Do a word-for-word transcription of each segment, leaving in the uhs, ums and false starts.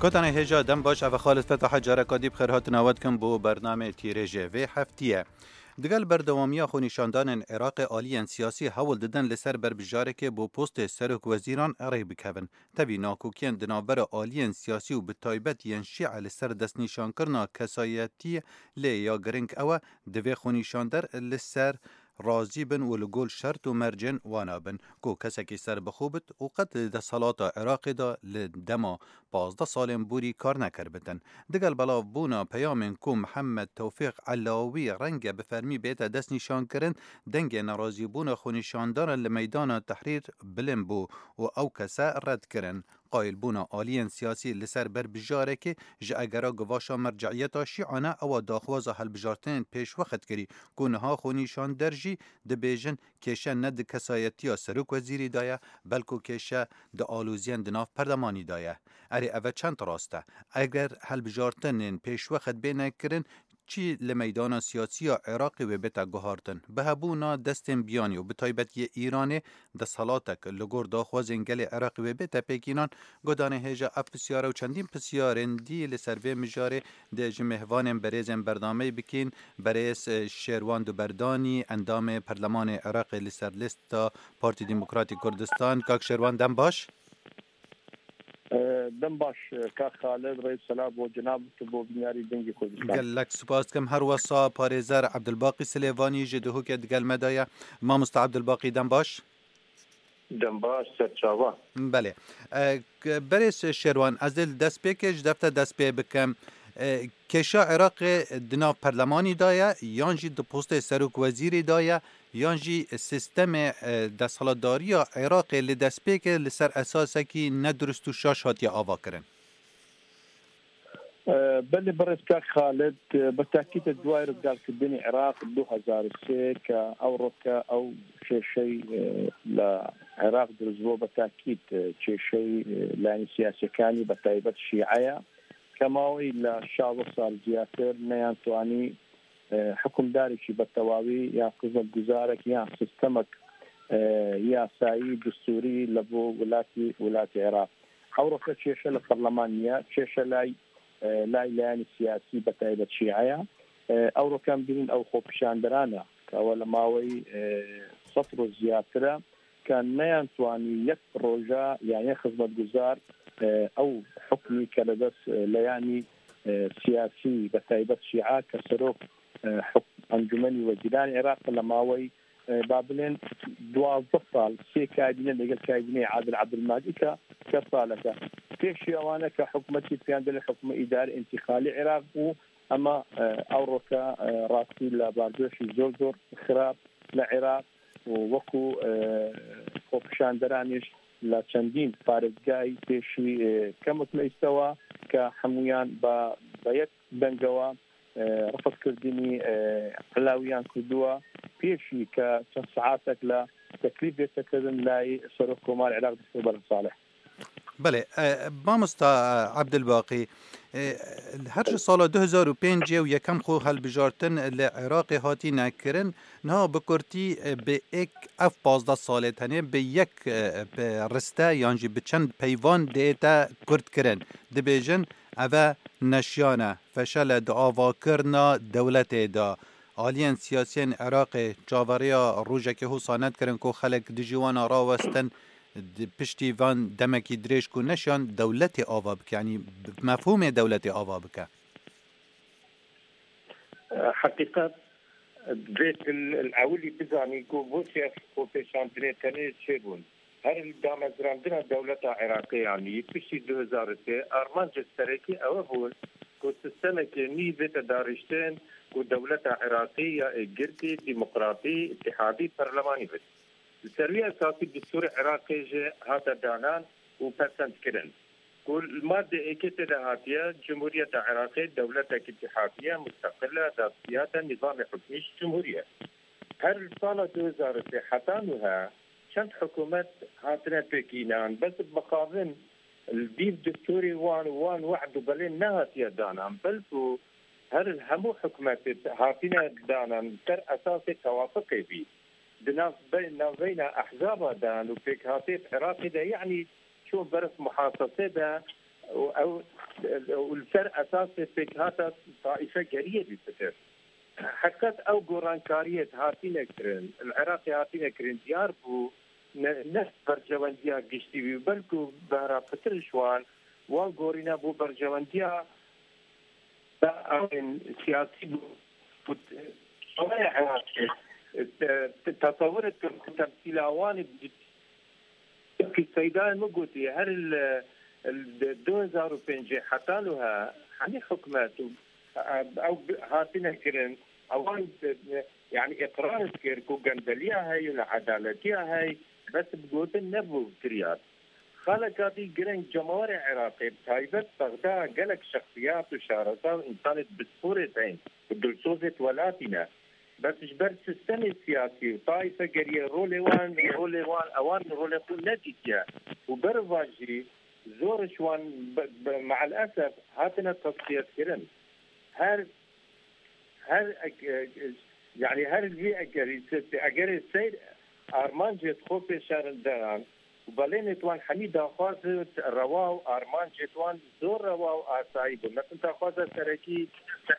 Gotanê hêja dem baş, ev Xalid Fetaha careka dî bi xêr hatina we dikim bo bernamê tîrêjê vê heftiyê. Digel berdewamiya xwenîşandanên Iraqê aliyên siyasî hewl didin li ser berbijarekê bo postê serok wezîran rê bikevin. Tevî nakokiyên di navbera aliyên siyasî û bi taybet yên şîe li ser destnîşankirina kesayetiyê lê ya girîng ew e, divê xwenîşander li ser razî bin û li gor şert û mercên wana bin ku kesekî serbixwe bit û qet li desthilata Iraqê de li dema pazdeh salên borî kar nekiribitin. Digel belavbûna peyamên ku Mihemed Tewfîq Elawî renge bi fermî bête destnîşankirin, dengê nerazîbûna xwenîşandaran li meydana Tehrîr bilind bû û ew kese red kirin. Qayilbûna aliyên siyasî li ser berbijarekê ji egera givaşa merceiyeta şîane ewa daxwaza hilbijartinên pêşwext kirî ku niha xwenîşander jî dibêjin kêşe ne di kesayetiya serokwezîrî de ye, belku kêşe di aloziyên di nav perlemanî de ye. Erê, ev e çend rast e? Eger hilbijartinên pêşwext bêne kirin, çi li meydana siyasî ya Iraqê wê bête guhartin? Bi hebûna destên biyanî û bi taybet yê Îranê desthelatek li gor daxwazên gelê Iraqê wê bête pêkînan, godanê hêja ev pisyare û çendîn pisyarên dî li ser vê mijarê dê ji mêvanên berêzên bernameyê bikîn, berêz, e, Şêrwan Duberdanî, endamê Perlemanê Iraqê li ser lista Partî Demokratîk Kurdistan. Kak Şêrwan, dem baş. E, dem baş, e, kak Xalid, rêz selam bo cenab tu, bo bînyarî dengê Kurdistan. Gelek spas dikim. Her wesa parêzer Ebdulbaqî Silêvanî ji Duhokê digel me de ye. Mamosta Ebdulbaqî, dem baş. Dem baş, serçava. Belê. E, k-, berêz Şêrwan, ez dê li destpêkê ji defte dest pê bikim. E, kêşa Iraqê di nav perlemanî de ye, yan jî di postê serok wezîrê de ye, yan jî sîstemê, e, desthilatdariya Iraqê li destpêkê li ser esasekî nedurust û şaş hatiye avakirin? E, belê, birêz kak Xalid, e, bi tekîd e duayê rizgarkirdinê Iraq du hezar û sê ke ewro ke ew kêşey, e, li Iraq dirust bû, bi tekîd, e, kêşey, e, layînî siyasîyekanî bi taybet şîe ye ke maweyî li şaş sal ziyadtir neyan twanî e, hikimdarekî bi tewawî ya xizmetguzarek ya sistemek, e, yasayî, destûrî li bo welatî, welatê Iraq. Ewro ke kêşe li perleman niye, kêşe lay, e, lay layanê siyasî bi taybet şîe ye. E, ewro ke em dibînin ew xwepişanderan e, ke ew li maweyî, e, sed roj ziyadtir e, ke neyan twanî yek proje ya yek xizmetguzar, e, ew hukmî ke li dest, e, leyanî, e, siyasî, bi taybet şîe ke serok, e, huk-, Encûmenî Wezîranê Iraq li maweyî, e, ba bilên duwazdeh sal, sê kabîne li gel kabîneyê Adil Abdulmehdi ke çend saleke. Pêşî ewan e ke hikûmetî pêyan dilê hikûmê îdare întîqalî Iraq bû, ema, e, ewro ke, e, rastî li berdewşî zor zor xirab li Iraq û wekû, e, xwepişanderanîş li çendîn parêzgahî pêşî, e, kemik me îstewa ke hemûyan ba, bi yek dengewa, e, refzkirdinî, e, Elawiyan kirduwa, pêşî ke çend saetek li teklîf bête kirin layê Serokkomar Iraq Doktor Belem Salih. Belê, e, mamosta, e, Ebdulbaqî, e, her ji sala du hezar û pêncê û yekem xwe hilbijartin li Iraqê hatîne kirin, niha bi kurtî, e, bi êk ev pazdeh salê tenê bi yek, e, bi riste yan jî bi çend peyvan diête kurt kirin. Dibêjin, ev e neşiyane, feşele di avakirina dewletê de. Aliyên siyasiyên Iraqê çaveriya rojekê hosa nedikirin ku xelk dijî wan a rawestin, di piştî van demekî dirêj ku neşiyan dewletê ava bike, yanî mefhûmê dewletê ava bike. Heqîqet, divê tu li ewilî bizanî ku boçî ev xwepêşandinê tenê çêbûn. Her li damezrandina dewleta Iraqê, yanî piştî du hezar û sê, armancê serekî ew bûn ku sîstemekê nî bête darîştin ku dewleta Iraqê ya êkgirtî, demokratî, îtîhadî, perlemanî bit. Li ser wî esasî destûrê Iraqê jî hate danan û pesendkirin, ku li madde êkê tê de hatiye, Cumhuriyeta Iraqê dewletek îtîhadî ye, musteqil e, dastiyat e, nîzamê hukmî jî cumhurî ye. Her li sala du hezar û sê heta nuha çend hikûmet hatine pêkînan, bes bi mixabin li dîv destûrê wan û wan wehd û belê nehatiye danan, belku her hemû hikûmetê hatine danan li ser esasê tewafiqê bî. Di nav be-, navbeyna ehzaba de û pêkhatê Iraqê de, yanî çûn ber muhasesê de, û ew û li ser esasê pêkhata taîfegeriyê bî fikir. Heqet ew gorankariyê hatine kirin, li Iraqê hatine kirin, diyar bû ne, ne berjewendiya giştî bî, belku behra pitir ji wan, wan gorîne bû berjewendiya da ew ên siyasî bû. Û t-, şawaya Iraqê, te-, te-, tesewir dikim ku temsîla wan bi Wekî Seydayê min gotî, her li, li du hezar û pêncê heta niha hemî hikûmet û, e, ew bi-, hatine kirin, ewan, e, yanî îqrar dikir ku gendeliya heye, needaletiya heye, bes bi gotin nebû kiryar. Xaleka dî gireng cemawerê Iraqê, bi taybet Bexda gelek şexsiyat û şareza û însanê bi sporê tên, bi dilsozê welatî ne. Bes ji ber sistemê siyasî û taîfegeriyê rolê wan, rolê wan, ewan rolê xwe nedîtiye û ber va jî zor ji wan be, be, me'el esef hatine tesfiyetkirin. Her, her ek-, e, yanî her vî egerî, egerê seyr armancê xwe pêşerinde yan, û belê nêtwan hemî daxwaz rewa û armancê wan zor rewa û asayî bû. Mesela daxwaza serekî,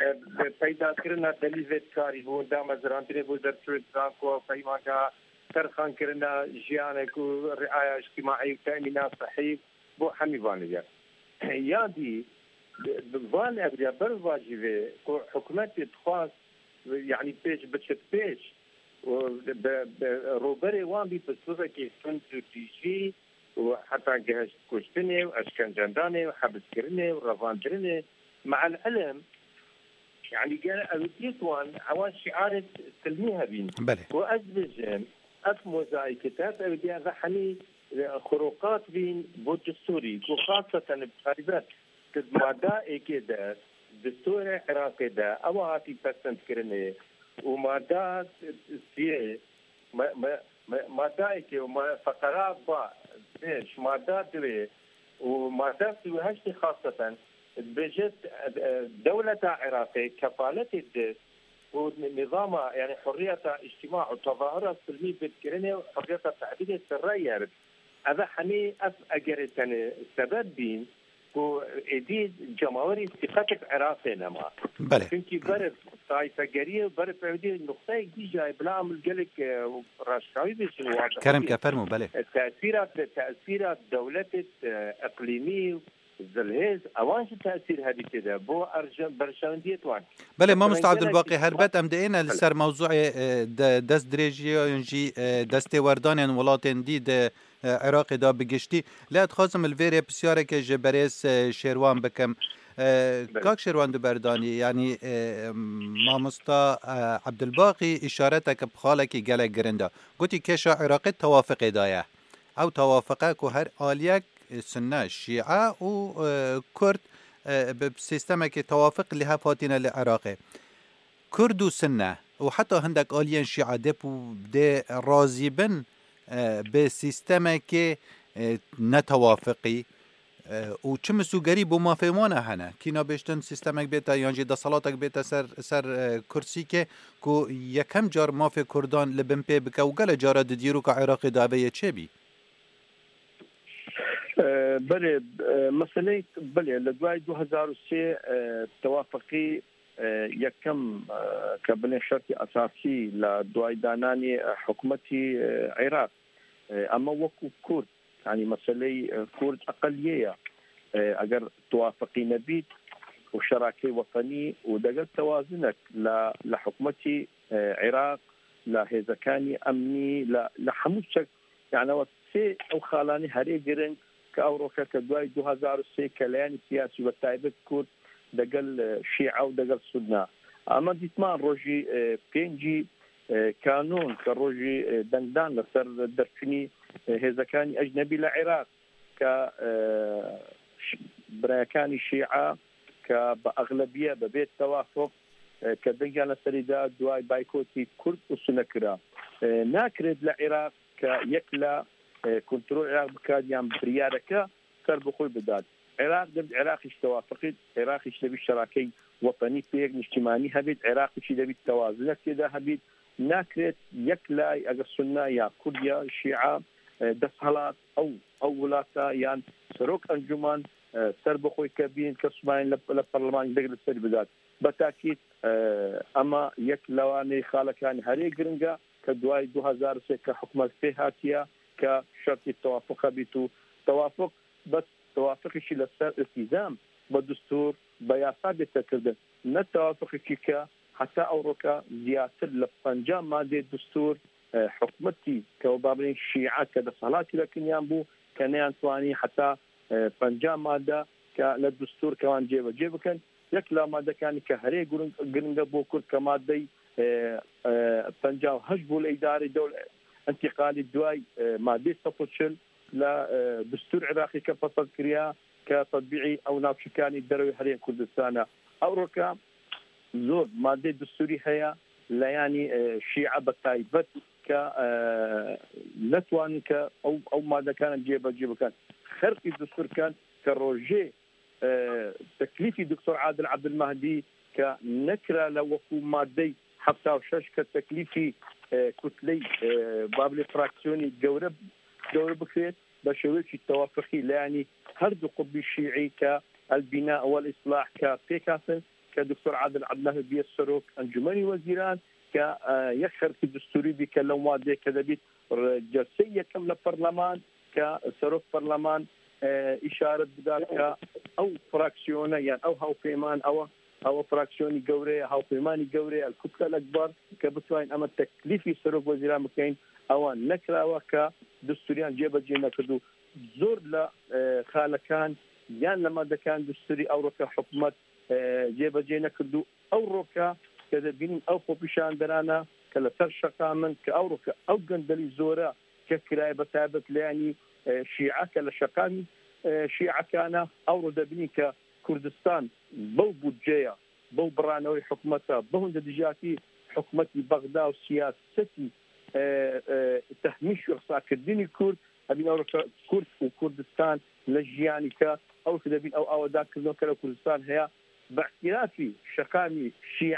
e, peydakirina delî vê karî bû, damezrandinê bû zerçûyê zanko, peymangeha terxankirina jiyanek û riaya îctîmaî û temîna sehî bo hemî vanê ye. Ya dî, bi van evriya ber va jî vê ku hikûmetê dixwast, yanî pêş biçit pêş, û bi, bi, rûberê wan bî bi sibekê tund û tîjî û heta gihişt kuştinê û eşkencedanê û hebiskirinê û revandirinê. Me'el ilim, yanî gere ewdiyet wan, ewan şiarê silmî hebîn. Belê. Û ez dibêjim, ev mozaîkê te, ev ewdiya ve hemî, e, xuruqat bîn bo distûrî, ku xaseten bi taybet di mada êkê de, distûrê Iraqê de, ewa hatî pesendkirinê û mada siyê, me, me, me, mada êkê û me, feqera ba, pêş, mada duê û mada sî û heştê xaseten, dibêje, e, dewleta Iraqê kefaletê dide ku nîzama, yanî hurriyeta îctîma û tezahura silmî bidkirinê û hurriyeta tebîrê sirre yer. Ev hemî ev egerê tenê sebeb bîn ku êdî cemawerî sîqet bi Iraqê nema. Belê. Çimkî berif taîfegeriyê û berif ewdî nuqteyek dî jayê bila em gelek, e, raşkawî bêjin wadih. Kerem ke, fermo, belê. E, tesîra, tesîra dewletê, e, iqlîmî, zilhêz, ewan jî tesîr hebî tê de bo erje-, berjewendiyê wan. Belê, mamosta Ebdulbaqî, herbet em diêne li ser mewzûê, e, de-, dest dirêjiyan jî, e, destê werdanên welatên dî di, e, Iraqê de bi giştî. Lê ez dixwazim li vê rê pisyareke ji berêz, e, Şêrwan bikim. E, belê. Kak Şêrwan, tu berdanî, yanî, e, mamosta, e, Ebdulbaqî îşareteke bi xalekî gelek girin da. Gotî kêşa Iraqê tewafiqê de ye. Ew tewafiqe ku her aliyek, e, Sunne, Şîe û, e, Kurd, e, bi sîstemekê tewafiq li hev hatine li Iraqê. Kurd û Sunne û heta hindek aliyên Şîe dê û dê razî bin, e, bi sîstemekê, e, netewafiqî, e, û çi misûgerî bo mafê wan e hene. Kî nabêjtin sîstemek bête yan jî desthelatek bête ser, ser, e, kursîkê ku yekem car mafê Kurdan li bin pê bike û gelek cara di dîroka Iraqê de ev yê çêbî? E, belê, e, meseleyê, belê, li duayê du hezar û sê, e, tewafiqî, e, yekem, e, ke binê şertî esasî li duayê dananê, e, hikûmetî, e, Iraq. E, ema wekû Kurd, yanî meseleyê, e, Kurd eqeliyê ye. E, eger tewafiqî nebît û şerakeyê wetenî û degel tewazinek li, li hikûmetî, e, Iraq, li hêzekanî emnî, li, li hemû tiştek, yani ew sê ew xalanî herê giring ke ew roke ke duayê du hezar û sê keleyanî siyasî ve taybet Kurd degel, e, Şîe û degel Sunne. Ama dîtman rojî, e, pêncî, e, Kanûn ke rojî, e, dengdan li ser derçûnî, e, hêzekanî ecnebî li Iraq ke, e, ş-, birayekanî Şîe ke bi exlebiye, bi bê tewafuq, e, ke dengiyan li serî da duayê baykotî Kurd û Sunne kira. E, nakirêt li Iraq ke yek la, e, kontrol Iraq bikat yan biryareke ser bi xwe bidat. Iraq dibit Iraqî ji tewafiqî, Iraqî ji debî şerakey wetenî pêk niştimanî hebît, Iraqî jî debî tewazinek tê de hebît. Nakirêt yek lay, eger Sunne ya Kurd ya Şîe, e, desthilat ew, ew wilata yan serok encûman e, serbixwe ke bînin, ke Sûmayên li, li perleman deng li ser bidat. Be tekîd, e, ema yek lewanê xalekani herê giring e ke duayê du hezar û sê ke hikûmet pê hatiye ke şertî tewafuq hebît û tewafuq, bes tewafuqî jî li ser îltîzam bi destûr, bi yasa bête kirdin. Ne tewafuqekî ke heta ewroke ziyadtir li penca madeyê destûr, e, hikûmetî ke wê babirên şîe ke desthilatî vekiniyan bû, ke neyan twanî heta, e, penca made ke li destûr ke wan cêbecê bikin. Yek la madekanî ke herê giring, giring e bo Kurd ke madeyê, e, e, penca û heşt bû li îdarê dewl-, întîqalî duay, e, madeyê sed û çil li, e, destûr Iraqî ke pesend kiriya, ke tetbîqî ew navçekanî derewê herê Kurdistan e. Ewroke zor madeyê destûrî heye, li yanî, e, şîe bi taybet ke, e, netwanin ke ew, ew madekan cêbecê bikin. Xerqî destûr ken ke rojê, e, teklîfî Doktor Adil Abdulmehdi ke nekira li wekû madeyê hefta û şeş ke teklîfî, e, kutleyê, e, babilê fraksiyonî gewre, gewre bikirêt, bi şêweyekî tewafuqî li yanî her du qutbî şîî ke El-Bîna û El-Îslah ke pêk hatin, ke Doktor Adil Abdulmehdi biye serok Encûmenî Wezîran, ke, e, yek xerqî destûrî bî ke lem wadê ke debît re-, celseyê yekem li perleman, ke serok perleman, e, îşaret bidat ke ew fraksiyone, yan ew hawpêman, ew, ew fraksiyonî gewre ye, hawpêmanî gewre ye, El-Kutle El-Ekber, ke bitwanîn ema teklîfî serok wezîran bikeyn, ewa nekirawe ke destûriyan cêbecê nekirdo. Zor li, e, xalekan yan li madekan destûrî ewroke hikûmet, e, cêbecê nekirdo. Ewroke ke dibînin ew xwepîşanderane ke li ser Şeqam in, ke ewroke ew gendelî zor e ke kiraye bi taybet li yanî, e, şîe ke li Şeqamî, e, şîekan e. Ewro dibînin ke Kurdistan bew budceya, bew biraneweyê hikûmeta, bew hindidijatî hikûmetî Bexda û siyasetî, e, e, tehmîş û qisakirina Kurd, hebîn ewroke Kurd û Kurdistan li jiyanî ke ewroke dibîn ew awedakirineke li Kurdistan heye. Bi îtirafî Şeqamî şîe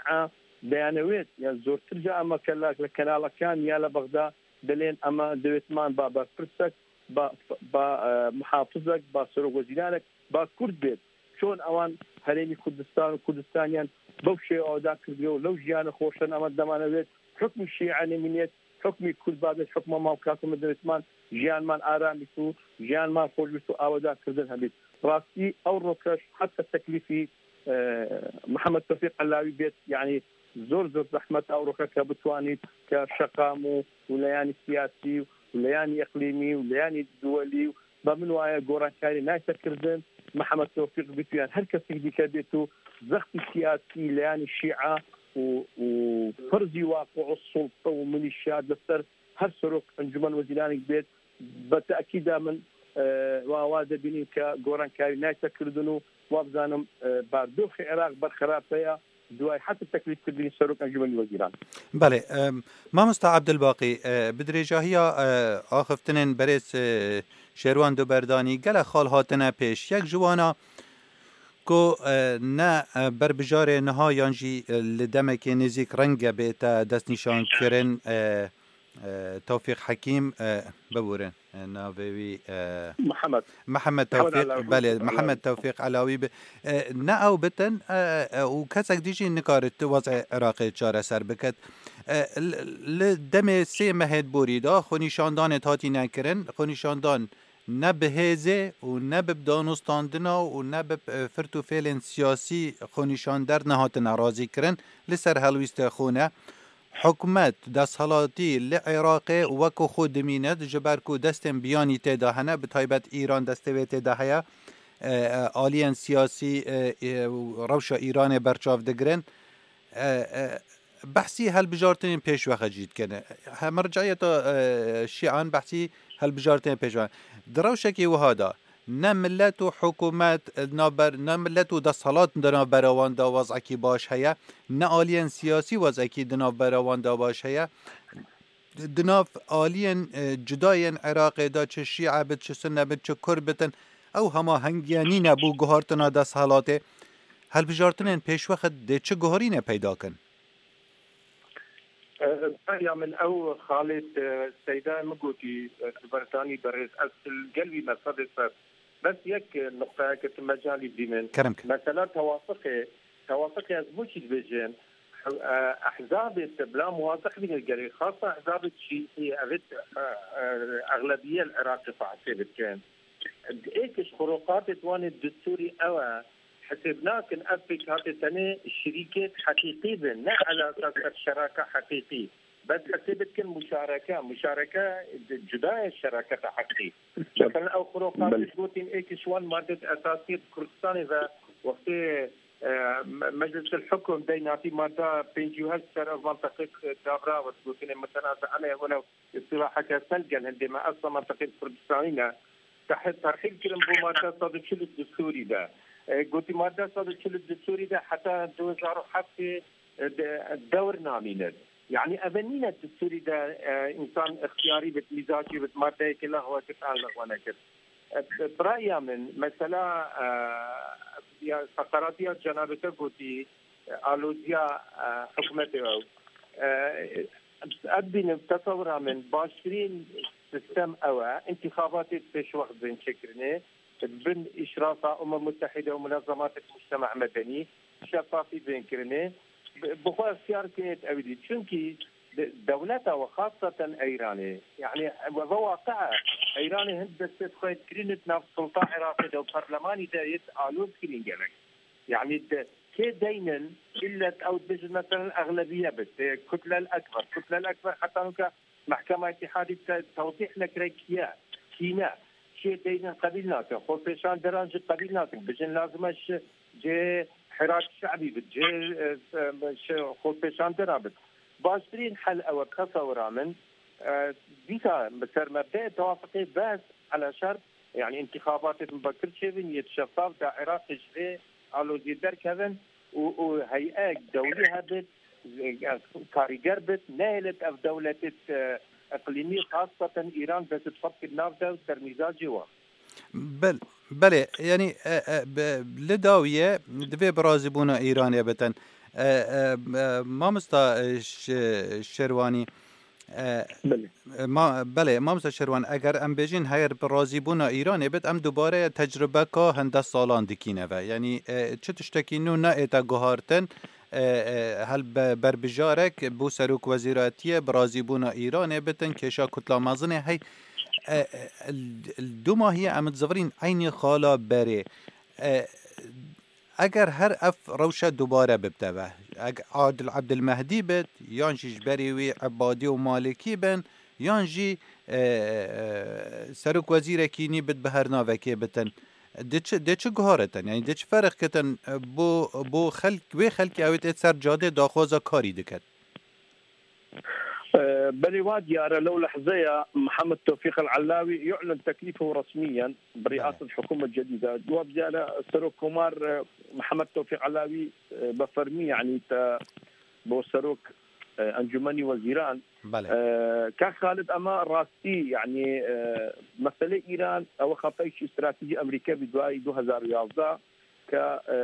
deyanewêt, ya zortir ca ema ke li, li kenalekan ya li Bexda dilên ema dewêtman ba berpirsek, ba, ba, e, muhafizek, ba serokwezîranek, ba Kurd bêt. Çon ewan herêmî Kurdistan û Kurdistaniyan bew şêw awda kirdiye û lew jiyana xweşan ema demanewêt, hukmî şîe nemînêt, hukmî Kurd babêt, hukma mafkak û dewêtman, jiyanman aram bît û jiyanman xweş bît û awda kirdin hebît. Rastî ewrokeş heta teklîfî, e, Mihemed Tewfîq Elawî bêt, yanî zor zor zehmet ewroke ke bitwanît ke Şeqam û, û leyanî siyasî û leyanî iqlîmî û leyanî duwelî û be min waye gorankarî nayte kirdin. Mihemed Tewfîq bît û yan her kesek dîke bêt û zextî siyasî leyanî şîe û, û ferzî waqi û sulta û milîşya li ser her serok encûmen wezîranek bêt, bi tekîda min, e, wa, wa dibînin ke gorankarî nayte kirdin û wa bizanim, e, bardoxê Iraq ber xerape ye, duayê heta teklîfkirdinî serok encûmenî wezîran. Belê, e, mamosta Abdulbaqî, e, bi dirêjahiya, e, axiftinên berêz, e, Şêrwan Duberdanî gelek xal hatine pêş. Yek ji wana ku, e, ne, e, berbijarê niha yan jî, e, li demekê nêzîk renge bête destnîşankirin, e, e, Tewfîq Hekîm, e, biborin, e, navê wî, e, Mihemed. Mihemed Mihemed Tewfîq, Elawî. Belê, Mihemed Elawî. Tewfîq Elawî bi, e, ne ew bitin, e, e, û kesek dî jî nikarit wezê Iraqê çareser biket. E, li, li demê sê mehê borî de xwenîşandanê hatîne kirin, xwenîşandan ne bi hêzê û ne bi danûstandina û ne bi, e, firt û fêlên siyasî xwenîşander nehatine razîkirin li ser helwîstê xwe ne. Hikûmet, desthilatî li Iraqê wekî xwe dimîne, ji ber ku destên biyanî tê de hene, bi taybet Îran destê wê tê de heye, e, e, aliyên siyasî, e, e, rewşa Îranê berçav digirin. E, e, behsî hilbijartinên pêşwexe jî dikene. He, merciyeta, e, şîan behsî hilbijartinên pêşwexe. Di rewşekî wiha de ne milet û hikûmet, e, navber, ne milet û desthilat di navbera wan de wezekî baş heye, ne aliyên siyasî wezekî di navbera wan de baş heye. Di nav aliyên, e, cuda yên Iraqê de çi şîe bit, çi sunne bit, çi kurd bitin, ew hemahengiya nîne bo guhartina desthilatê. Hilbijartinên pêşwexe dê çi guherîne peyda kin? E, raya min ew Xalid, e, Seyda min gotî, e, Duberdanî berêz, ez li gel wî me sedê sed. Bes yek nuqteyeke tu mecalî bînin. Kerem ke. Mesela tewafiqê, tewafiqê ez bo çî dibêjin? Eh, ehzabê te bila muwafiq bîne gelê, xasa ehzabê çî, evê, eh, eh, exlebiye li Iraqê xwe hesê bikin. Êk ji xuruqatê di wanê destûrî ew e, hesêb nakin ev pêkhatê tenê şirîkêt heqîqî bin, ne ala esas ser şeraka heqîqî. Bes hesê bikin muşareke, muşareke cuda ye şeraketa heqî. Mesela ew xuruqatê Belê. Gotin êk ji wan madde esasî Kurdistanê ve wextê, e, me-, Meclisil Hukum dey natî madde pêncî û heşt ser ev mantaqê dabra ve gotinê mutenaze ene welew istilaheke sel gel hindê me esla mantaqê Kurdistanî ne. Teh-, terhîl kirin bo madde sed û çil û du destûrî de. E, gotî madde sed û çil û du destûrî de heta du hezar û heftê, e, de, dewr namînin. Yani ev nîne destûrî de, e, însan ixtiyarî bit, mîzacî bit, maddeyekê lexwe kir, an lexwe nekir. E, bi, bi raya min, mesela, e, ya feqeratiya cenabê te gotî, e, aloziya, e, hikûmetê ew. E, ez bînim, tesewira min, baştirîn sistem ew e, întîxabatê pêşwext bên çêkirinê, bin îşrafa Umem Mutehîde û munezematê mujtema medenî, şefafî bên kirinê, bi, bi xwe ixtiyar kirinê ewî dî. Çunkî de-, dewleta we, xaseten Eyranê, yani ve, ve waqia Eyranê hin destê xwe kirînit nav sulta Iraqê de û parlemanî de yêt aloz kirîn gelek. Yani de, kê deynin, illet ew dibêjin, meselen, exlebiye bit, e, kutlel ekber. Kutlel ekber heta nuka Mehkema Îtîhadî te-, tewdîh nekire kiye, kî ne. Çiyê deynin qebîl nakin. Xwepêşanderan jî qebîl nakin. Bijin lazim e ji cihê Hirak Şe'bî bit, cihê, e, e, şi-, xwepêşandera bit. Baştirîn hel ew e, bi tesewira min. E, dîsa bi ser mebdeyê tewafiqê bes, ala şert, yani întîxabatê mubekir çêbin, yêt şefaf da Iraqê ji vê aloziyê derkevin û, û heyek dewlî hebit, karîger bit, nehêlit ev dewletê, e, iqlîmî, xaseten Îran, dest xwe bikir nav de û sermîza cî wan. Bel-, belê, yani, e, e, be-, li dawiye divê bi razîbûna Îranê bitin. E, e, e, mamosta, e, Ş-, Şerwanî, e, Belê. e, ma-, belê, mamosta Şerwan, eger em bêjin heger bi razîbûna Îranê bit, em dubare tecrubeka hinde salan dikîne ve. Yani, e, çi tiştekî nû neête guhartin, e, e, hel be-, berbijarek bo serok wezîratiyê bi razîbûna Îranê bitin, kêşa kutla mezinê hey, e, e, l-, l-, du mahiyê em dizivirîn eynî xala berê. E, eger her ev rewşe dubare bibte ve, eg-, Adil Abdilmehdî bit, yan jî ji berê wî Ebadî û Malikî bin, yan jî, e, e, serok wezîrekî nî bit bi her navekê bitin. Dê çi, dê çi guharitin? Yani dê çi ferq kitin, e, bo, bo xelk, wê xelkê ew ê tê ser cadê daxwaza karî diket? E, belê wa diyare, lew lehzeya Mihemed Tewfîq El Ellawî yu'lin teklîfehu resmiyen bi riaseta hikûmet cedîde. Wa diyare Serok Komar, e, Mihemed Tewfîq Ellawî, e, bi fermî, yani te bo serok, e, Encûmenî Wezîran. Belê. E, Kak Xalid, ema rastî, yani, e, meselê Îran, ew xapeyşî stratejî Amerîke bi duayî du hezar û yazdeh ke, e,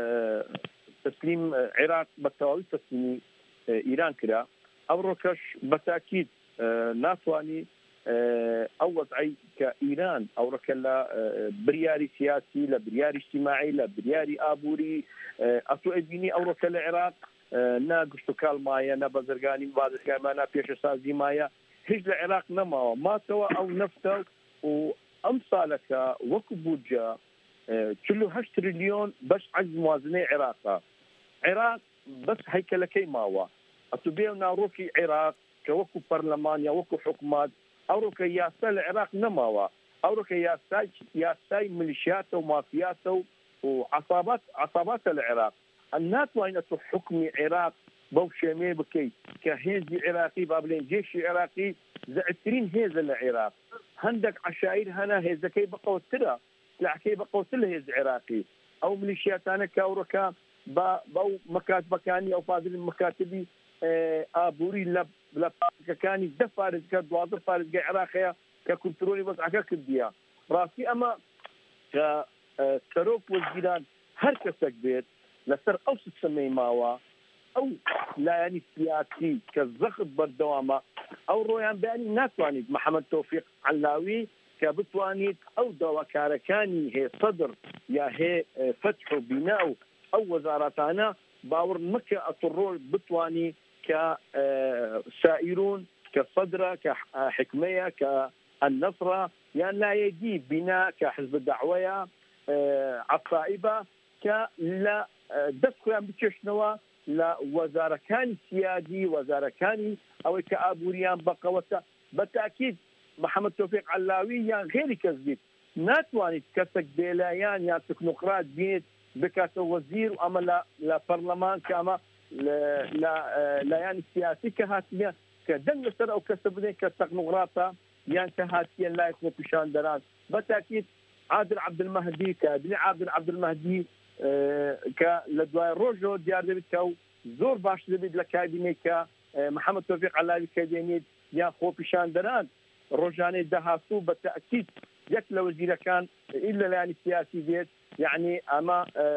teslîm, e, Iraq bi tewawî teslîmî, e, Îran kira. Ewrokeş bi tekîd, e, natwanî, e, ew wez'ey ke Îran ewroke le, e, biryarî siyasî, le biryarî îctîmaî, le biryarî aborî, e, eto ê bînî ewroke li Iraq, e, ne gişt û kal maye, ne bezirganî, bazirganî maye, ne pêşesazî maye. Hiç li Iraq nemawa. Matewa ew neft e û emsaleke wekî budce, e, çil û heşt trilyon beş ecz muwazinê Iraq e. Iraq bes heykelekey mawa. Etu bê ew narokî Iraq ke wekî parleman ya wekî hikûmet, ewroke yasa li Iraq nemawa. Ewroke yasay, yasay milîşyat û mafyat û, û esabat, esabat e li Iraq. Em natwanî tu hukmî Iraq bew şêmê bikey ke hêzî Iraqî, ba bilên cêşî Iraqî zêdetirîn hêz e li Iraq. Hendek eşayîr hene hêzekey biqewtir e, silahekey biqewtir li hêz Iraqî. Ew milîşyatane ke ewroke ba, bew mekatibekanî, ew fazilên mekatibî, e, aborî le, le parêzgekanî, deh parêzge, duwazdeh parêzge Iraqê ye ke kontrolê wez'eke kirdiye. Rastî ema ke, e, serok wezîran her kesek bêt, li ser ew sistemê mawa, ew layanî siyasî ke zexf berdewam e, ew royan beyanî natwanît Mihemed Tewfîq Ellawî کە بتوانیت ئەو داواکارەکانی هێ سەدر یا هێ، ئە، فەتح و بینا و ئەو وەزارەتانە باوەڕ مەکە ئەتوڕۆ بتوانی کە، ئە، سائیرون، کە سەدرە، کە، ئە، حکمەیە، کە ئەنەسرە، یان لایەگی بینا کە حزب دەعوەیە، ئە، عەسائبە، کە لە، ئە، دەست خۆیان بکێشنەوە لە وەزارەکانی سیادی، وەزارەکانی ئەوەی کە ئابووریان بەقەوەتە. بە تاکید محەممەد تۆفیق عەلاوی یان غێری کەس بیت، ناتوانیت کەسێک بێلایەن یان تەکنۆکرات بێت بکاتە وەزیر و ئەمە لە، لە پەرلەمان کە ئەمە لە، لە، ئە، لایەنی سیاسی کە هاتیە کە دەنگ لەسەر ئەو کەسە بدەن کە تەکنۆکراتە یان کە هاتیە لای خۆپیشاندەران. بە تاکید عادل عەبدولمەهدی، کابینەی عادل عەبدولمەهدی، ئە، کە لە دوای ڕۆژەوە دیار دەبێت کە ئەو زۆر باش دەبێت لە کابینەی کە، ئە، محەممەد تۆفیق عەلاوی کە دێنێت یان خۆپیشاندەران ڕۆژانەی داهاتوو بە تەئکید یەک لە وەزیرەکان ئیل لە لایەنی سیاسی دێت، یعنی ئەمە، ئە،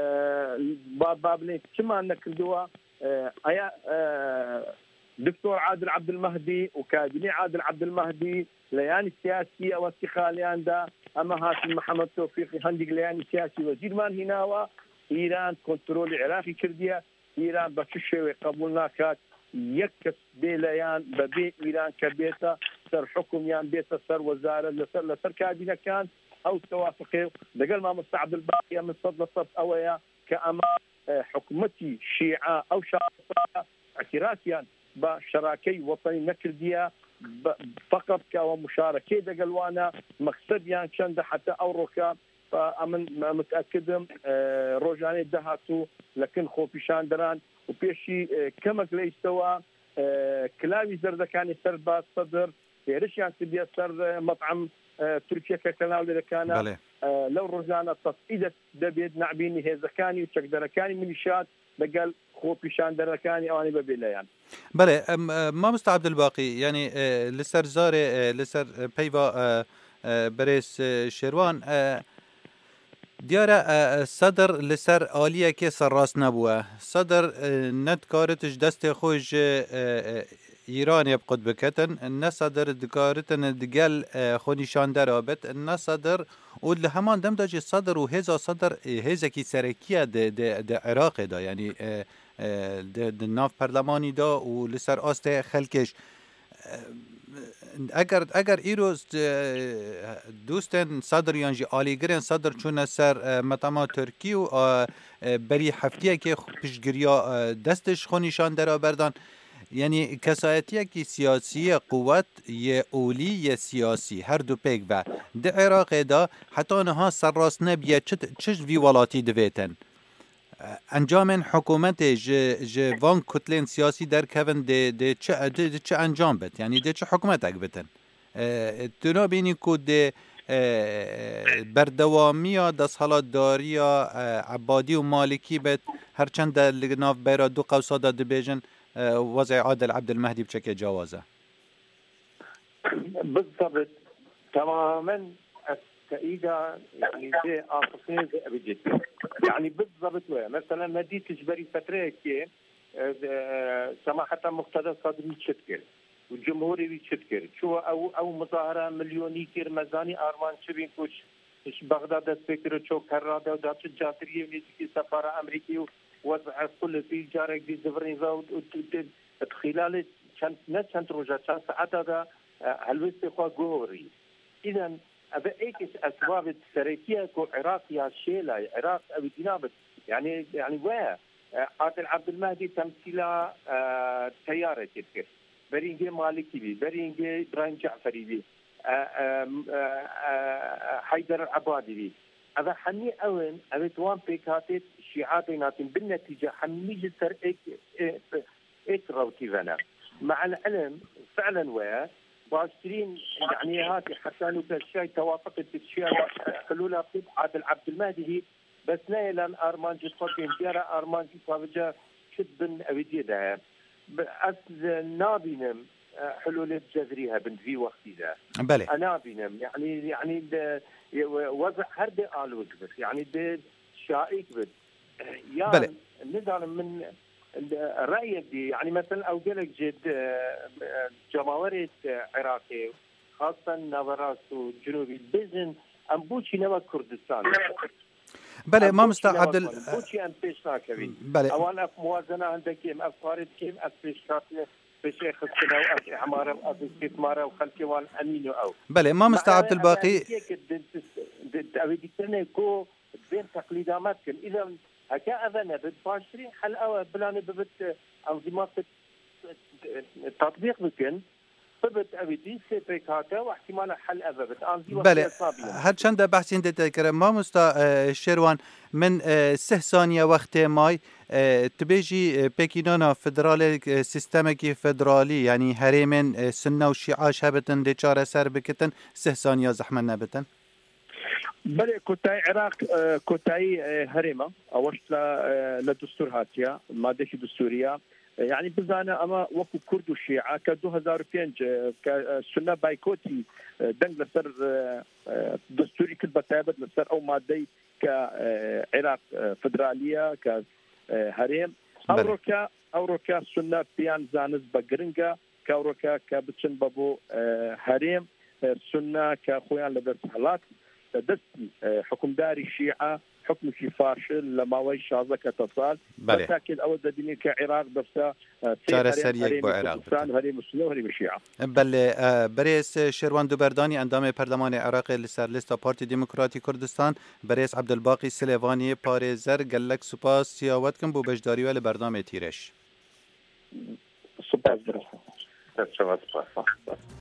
با، با بڵێن چمان نەکردووە، ئە، ئەیا، ئە، دکتۆر عادل عەبدولمەهدی و کابینەی عادل عەبدولمەهدی لە یانی سیاسی ئەوە استیقالیاندا، ئەمە هاتن محەممەد تۆفیقی هەندێک لە یانی سیاسی وەزیرمان هیناوە، ئیران کۆنترۆلی عێراقی کردیە، ئیران بە چ شێوەیە قبول ناکات یەک کەس بێ لەیان بەبێ ئیران کە بێتە سەر حکم یان بێتە سەر وەزارەت لەسەر، لەسەر کابینەکان. ئەو تەوافقێ و لەگەڵ مامۆستا عەبدولباقی من سەد لە سەد ئەوەیە کە ئەمە، ئە، حکومەتی شیعە ئەو شارستانە اعترافیان بە شەراکەی وەتەنی نەکردیە، بە، فقط کە ئەوە مشارەکەی دەگەڵ وانە، مەکسەدیان چەندە حتا ئەو ڕۆکە، ئە، ئەمن متأکدم، ئە، ڕۆژانەی داهاتوو لە کن خۆپیشاندەران و پێشی، ئە، کەمەک لە ئیستەوە، ئە، کلاوی زەردەکانی سەر بە سەدر هێرشیان کردیە سەر، ئە، مەطعەم، ئە، تورکیە کە کەناو لێ دەکانە. بەڵێ. ئە، لەو ڕۆژانە تەسعیدە دەبێت نعبینی هێزەکانی و چەکدەرەکانی میلیشیات لەگەڵ خۆپیشاندەرەکانی ئەوانی بەبێ لایەن. بەڵێ، ئەم، ئە، مامۆستا عەبدولباقی، یعنی، ئە، لەسەر زارێ، ئە، لەسەر، ئە، پەیڤا، ئە، ئە، بەرێز، ئە، شێروان، ئە، دیارە، ئە، ئە، سەدر لەسەر ئالیەکێ سەرڕاست نەبووە. سەدر، ئە، نەدکارت ji destê xwe ji، ئە، ئە، ئیرانê bi qut biketin، ne Sedir dikaritin digel، ئە، xwenîşandera bit، ne Sedir û li heman dem de jî Sedir û hêza Sedir، ئە، hêzekî serekî ye di، di، di Iraqê de، yanî، ئە، ئە، di، di nav perlemanî de û li ser astê xelkê jî. ئە، ئەگەر، ئەگەر ئیرۆ، ئە، دوستên Sedir yan jî alîgirên Sedir çûne ser، ئە، metema Tirkî û، ئە، ئە، berî heftiyekê xwe piştgiriya، ئە، destê ji xwenîşandera berdan. Yanî kesayetiyekî siyasî ye, quwet yê olî yê siyasî, her du pêk ve. Di Iraqê de heta niha serrast nebiye çi, çi ji vî welatî divêtin. Encamên hikûmetê ji, ji van kutlên siyasî derkevin dê, dê çi, dê, dê çi encam bit? Yanî dê çi hikûmetek bitin? E, tu nabînî ku dê, e, berdewamiya desthilatdariya, e, Ebadî û Malikî bit, her çend de li nav bera du qewsa de dibêjin, e, wezê Adil Ebdilmehdî bi çekê cawaz e. Bizabit tamamen ez teîda, yanî, vê asasiyê vê evî cît. Yanî bizabit wê. Mesela me dît ji berî fetreyekê, e, e, semaheta Muqteda Sadrî çi dikir? Û cumhurê wî çi dikir? Çi ew, ew muzahara milyonî kir, me zanî armanc çi bîn ku ji, ji Bexda dest pê kir û ço kerra de û da çi catiriyê û nêzîkî sefara Amerîkî û wez'e kulifî carek dî zivirîn ve û, û, û, û, di xîlalê çend, ne çend roja, çend saeta de, e, helwestê xwe guhorî. Îden ev ê yek ji esbabê serekî ye ku Iraq ya şêla ye, Iraq ew dîna bit. Yanî, yanî we, e, Adil Ebdilmehdî temsîla, e, teyarekê dikir. Berî hingê Malikî bî, berî hingê Îbrahîm Ceferî bî, e, e, e, e, Heyder Ebadî bî. Ev hemî ew in, ev ê di wan pêkhatê şîa tên hatîn. Bin netîce hemî ji ser êk, ê, êk rewtî ve ne. Me'el ilim, fi'len we ye. Baştirîn, yanî, hatî heta nûke şiyay tewafiqê tu şiyay hilûla Adil Ebdilmehdî bî, bes ne êlan armancî xwe bên diyar e, armancî savica çi bin ewî diyê de heye. Bi-, ez nabînim, e, hilûlê cezrî hebin di vî wextî de. Belê. E, nabînim. Yanî, yanî de, ye, we-, wezî her dê alûz bit. Yanî dê şaîk bit. E, yan Belê. Nizanim min, e, reyek dî. Yanî mesela ew gelek ji, e, e, cemawerê, e, Iraqê xasen Naverast û Cinûbî, dibêjin, em boçî ne wek Kurdistan in? Belê, Em mamosta boçî ne wek Abdul, wan in? Boçî em pêş nakevîn? Belê. Ewan ev muwazena hindekî em ev karê dikêm, ev pêşkatiye, pêşê xistine û ev îmare û ev îstîtmare û xelkê wan emîn û ew. Belê, mamosta Ma ew Abdulbaqî. Ev yekê di, di, di, ew ê dîkirinê ku bên teqlîda me dikin. Îlem heke ev e nebit, baştirîn hel ew e, bilanê bibit, e, enzîmat tatbîq bikin, bibit ew ê dî sê pêk hate û ihtimala hel ev e bit. An zî Belê, wextê hesabî ye. Her çend de behsên de te kirin. Mamosta, e, Şêrwan, min, e, sih saniye wextê may, e, tu bêjî, e, pêkînana federalê, e, sîstemekî federalî, yanî herêmên, e, Sunne û Şîa ji hev bitin dê çareser bikitin, sih saniya zehmet nebitin? Belê, kotayî Iraq, e, kotayî, e, herêma, ew ji la, e, li destûr hatiye, madekî destûrî ye. E, yanî bizane, ema wekû Kurd û Şîa, ke du hezar û pênc, e, ke, e, Sunne baykotî, e, deng li ser, e, e, destûrî kir, be taybet li ser ew madeyî ke, e, Iraq, e, federalî ye, ke, e, herêm. Belê. Ewroke, ewroke Sunne piyan zanist be giring e, ke ewroke ke biçin be bo, e, herêm, e, Sunne ke xwe yan li dest helat, e, destî, e, hukimdarî Şîa, hukmekî faşil li maweyî şazdeh kete sal. Belê. Betakê ew dibînin ke Iraq dibse, e, sê Çareseriyek herêm, bo herêmê Iraq Kurdistan, bite. Herêmê Sunne û herêmê Şîa. Belê, e, berêz Şêrwan Duberdanî, endamê Perlemanê Iraqê li ser lista Partî Demokratî Kurdistan, berêz Abdulbaqî Silêvanî, parêzer, gelek spas ya we dikim bo beşdarî we li bernamê Tîreş. Spas, berêz. Serçava spas.